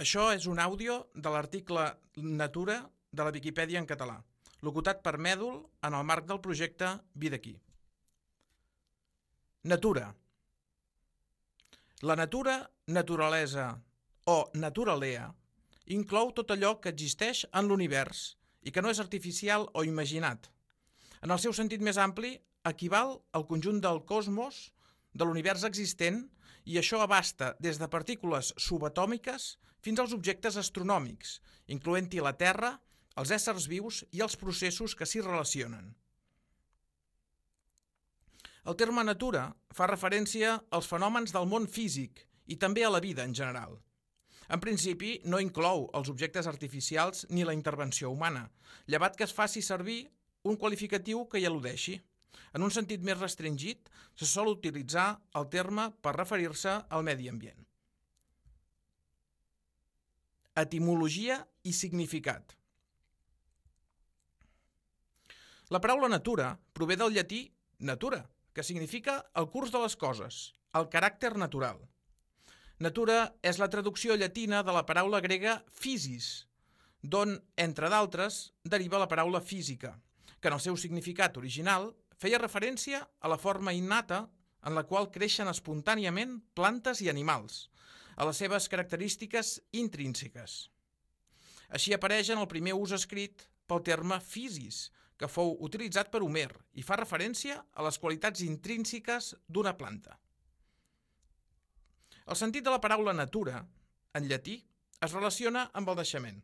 Això és un àudio de l'article Natura de la Viquipèdia en català, locutat per Mèdol en el marc del projecte Vida aquí. Natura. La natura, naturalesa o naturalea inclou tot allò que existeix en l'univers i que no és artificial o imaginat. En el seu sentit més ampli, equival al conjunt del cosmos, de l'univers existent, i això abasta des de partícules subatòmiques fins als objectes astronòmics, incloent-hi la Terra, els éssers vius i els processos que s'hi relacionen. El terme natura fa referència als fenòmens del món físic i també a la vida en general. En principi, no inclou els objectes artificials ni la intervenció humana, llevat que es faci servir un qualificatiu que hi al·ludeixi. En un sentit més restringit, se sol utilitzar el terme per referir-se al medi ambient. Etimologia i significat. La paraula natura prové del llatí natura, que significa el curs de les coses, el caràcter natural. Natura és la traducció llatina de la paraula grega physis, d'on, entre d'altres, deriva la paraula física, que en el seu significat original feia referència a la forma innata en la qual creixen espontàniament plantes i animals, a les seves característiques intrínseques. Així apareix en el primer ús escrit pel terme physis, que fou utilitzat per Homer i fa referència a les qualitats intrínseques d'una planta. El sentit de la paraula natura, en llatí, es relaciona amb el naixement.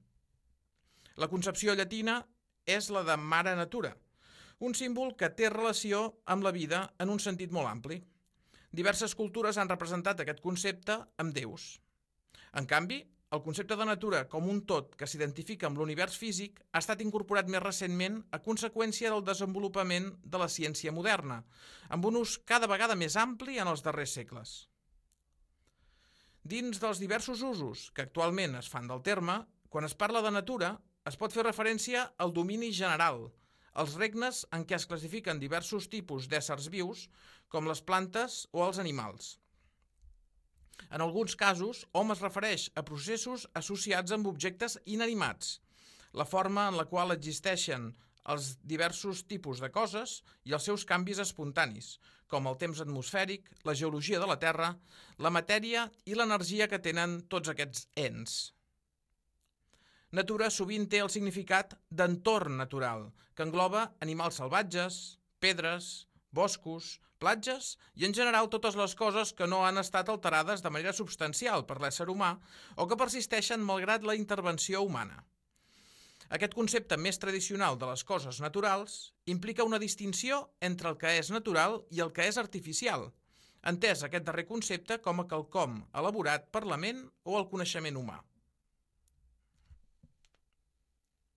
La concepció llatina és la de mare natura, un símbol que té relació amb la vida en un sentit molt ampli. Diverses cultures han representat aquest concepte amb déus. En canvi, el concepte de natura com un tot que s'identifica amb l'univers físic ha estat incorporat més recentment a conseqüència del desenvolupament de la ciència moderna, amb un ús cada vegada més ampli en els darrers segles. Dins dels diversos usos que actualment es fan del terme, quan es parla de natura, es pot fer referència al domini general, als regnes en què es classifiquen diversos tipus d'éssers vius, com les plantes o els animals. En alguns casos, hom es refereix a processos associats amb objectes inanimats, la forma en la qual existeixen els diversos tipus de coses i els seus canvis espontanis, com el temps atmosfèric, la geologia de la Terra, la matèria i l'energia que tenen tots aquests ens. Natura sovint té el significat d'entorn natural, que engloba animals salvatges, pedres, boscos, platges i en general totes les coses que no han estat alterades de manera substancial per l'ésser humà o que persisteixen malgrat la intervenció humana. Aquest concepte més tradicional de les coses naturals implica una distinció entre el que és natural i el que és artificial, entès aquest darrer concepte com a quelcom elaborat per la ment o el coneixement humà.